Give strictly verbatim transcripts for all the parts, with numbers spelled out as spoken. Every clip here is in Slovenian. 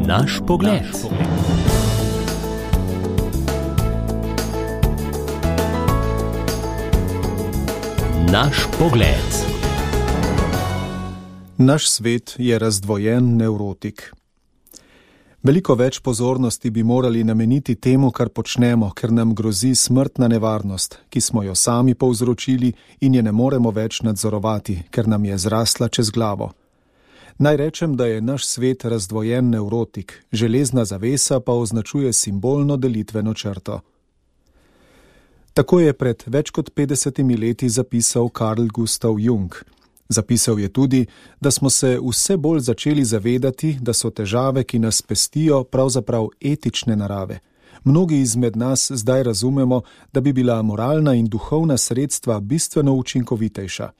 Naš pogled. Naš pogled. Naš svet je razdvojen nevrotik. Veliko več pozornosti bi morali nameniti temu, kar počnemo, ker nam grozi smrtna nevarnost, ki smo jo sami povzročili in je ne moremo več nadzorovati, ker nam je zrasla čez glavo. Naj rečem, da je naš svet razdvojen nevrotik, železna zavesa pa označuje simbolno delitveno črto. Tako je pred več kot petdesetimi leti zapisal Carl Gustav Jung. Zapisal je tudi, da smo se vse bolj začeli zavedati, da so težave, ki nas pestijo, pravzaprav etične narave. Mnogi izmed nas zdaj razumemo, da bi bila moralna in duhovna sredstva bistveno učinkovitejša.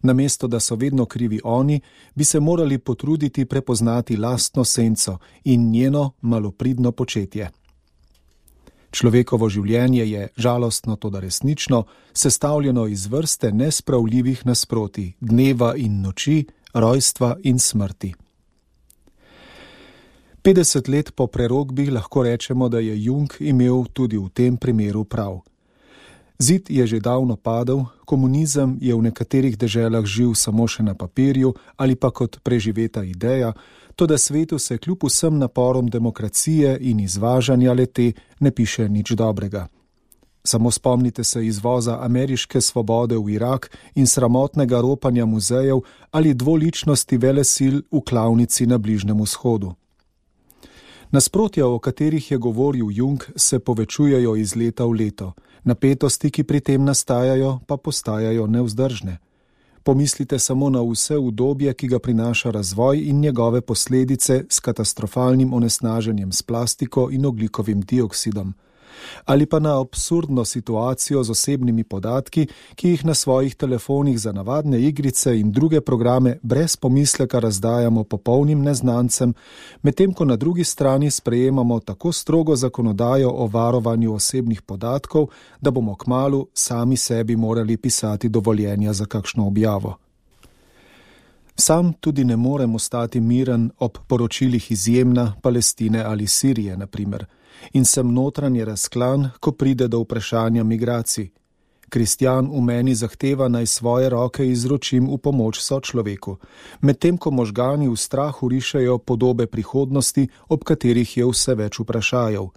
Namesto, da so vedno krivi oni, bi se morali potruditi prepoznati lastno senco in njeno malopridno početje. Človekovo življenje je, žalostno toda resnično, sestavljeno iz vrste nespravljivih nasprotij, dneva in noči, rojstva in smrti. petdeset let po prerokbi lahko rečemo, da je Jung imel tudi v tem primeru prav. Zid je že davno padel, komunizem je v nekaterih deželah živ samo še na papirju ali pa kot preživeta ideja, toda svetu se kljub vsem naporom demokracije in izvažanja le-te ne piše nič dobrega. Samo spomnite se izvoza ameriške svobode v Irak in sramotnega ropanja muzejev ali dvoličnosti velesil v klavnici na Bližnjem vzhodu. Nasprotja, o katerih je govoril Jung, se povečujejo iz leta v leto. Napetosti, ki pri tem nastajajo, pa postajajo nevzdržne. Pomislite samo na vse udobje, ki ga prinaša razvoj in njegove posledice s katastrofalnim onesnaženjem s plastiko in ogljikovim dioksidom. Ali pa na absurdno situacijo z osebnimi podatki, ki jih na svojih telefonih za navadne igrice in druge programe brez pomisleka razdajamo popolnim neznancem, medtem ko na drugi strani sprejemamo tako strogo zakonodajo o varovanju osebnih podatkov, da bomo kmalu sami sebi morali pisati dovoljenja za kakšno objavo. Sam tudi ne morem ostati miren ob poročilih iz Jemna, Palestine ali Sirije, na primer, in sem notranje razklan, ko pride do vprašanja migracij. Kristjan v meni zahteva, naj svoje roke izročim v pomoč sočloveku, medtem ko možgani v strahu rišejo podobe prihodnosti, ob katerih je vse več vprašajev.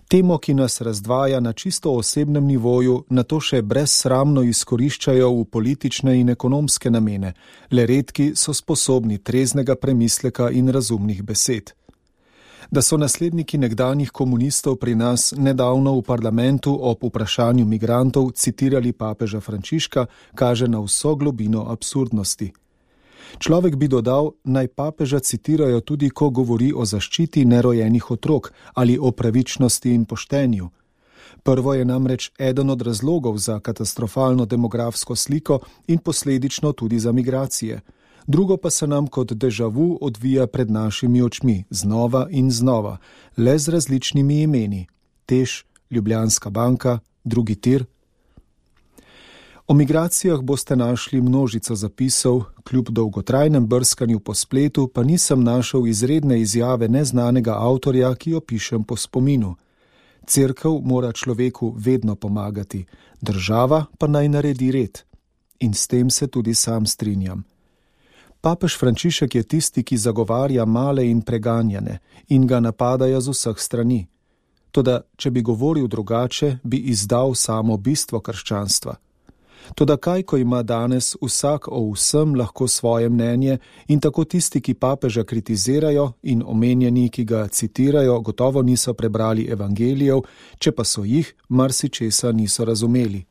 Temo, ki nas razdvaja na čisto osebnem nivoju, nato še brezsramno izkoriščajo v politične in ekonomske namene, le redki so sposobni treznega premisleka in razumnih besed. Da so nasledniki nekdanjih komunistov pri nas nedavno v parlamentu ob vprašanju migrantov citirali papeža Frančiška, kaže na vso globino absurdnosti. Človek bi dodal, naj papeža citirajo tudi, ko govori o zaščiti nerojenih otrok ali o pravičnosti in poštenju. Prvo je namreč eden od razlogov za katastrofalno demografsko sliko in posledično tudi za migracije. Drugo pa se nam kot déjà vu odvija pred našimi očmi, znova in znova, le z različnimi imeni. Teš, Ljubljanska banka, drugi tir. O migracijah boste našli množico zapisov, kljub dolgotrajnem brskanju po spletu pa nisem našel izredne izjave neznanega avtorja, ki jo pišem po spominu. Cerkev mora človeku vedno pomagati, država pa naj naredi red. In s tem se tudi sam strinjam. Papež Frančišek je tisti, ki zagovarja male in preganjane in ga napadajo z vseh strani. Toda, če bi govoril drugače, bi izdal samo bistvo krščanstva. Toda kaj, ko ima danes vsak o vsem lahko svoje mnenje in tako tisti, ki papeža kritizirajo in omenjeni, ki ga citirajo, gotovo niso prebrali evangelijev, če pa so jih, marsičesa niso razumeli.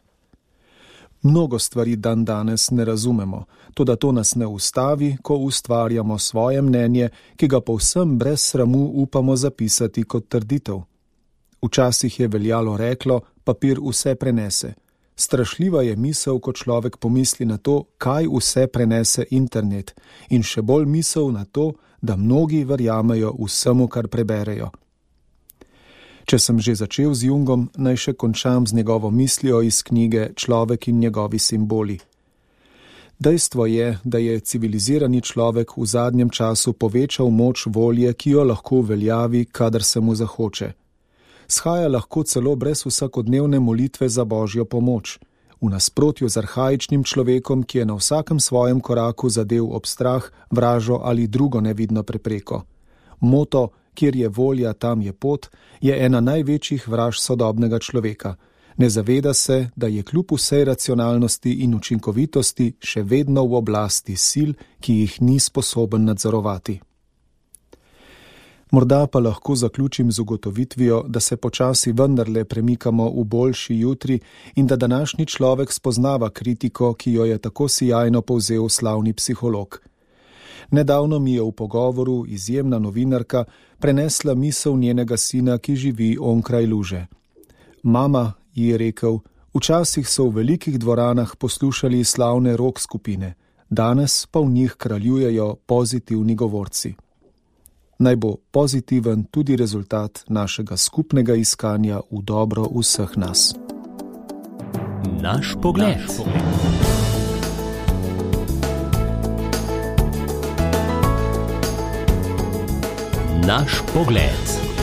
Mnogo stvari dan danes ne razumemo, toda to nas ne ustavi, ko ustvarjamo svoje mnenje, ki ga povsem brez sramu upamo zapisati kot trditev. Včasih je veljalo reklo, papir vse prenese. Strašljiva je misel, ko človek pomisli na to, kaj vse prenese internet, in še bolj misel na to, da mnogi verjamejo vsemu, kar preberejo. Če sem že začel z Jungom, naj še končam z njegovo mislijo iz knjige Človek in njegovi simboli. Dejstvo je, da je civilizirani človek v zadnjem času povečal moč volje, ki jo lahko uveljavi, kadar se mu zahoče. Shaja lahko celo brez vsakodnevne molitve za božjo pomoč, v nasprotju z arhaičnim človekom, ki je na vsakem svojem koraku zadev ob strah, vražo ali drugo nevidno prepreko. Moto, kjer je volja, tam je pot, je ena največjih vraž sodobnega človeka. Ne zaveda se, da je kljub vsej racionalnosti in učinkovitosti še vedno v oblasti sil, ki jih ni sposoben nadzorovati. Morda pa lahko zaključim z ugotovitvijo, da se počasi vendarle premikamo v boljši jutri in da današnji človek spoznava kritiko, ki jo je tako sijajno povzel slavni psiholog. Nedavno mi je v pogovoru izjemna novinarka prenesla misel njenega sina, ki živi onkraj luže. Mama, ji je rekel, včasih so v velikih dvoranah poslušali slavne rock skupine, danes pa v njih kraljujejo pozitivni govorci. Naj bo pozitiven tudi rezultat našega skupnega iskanja v dobro vseh nas. Naš pogled. Naš pogled.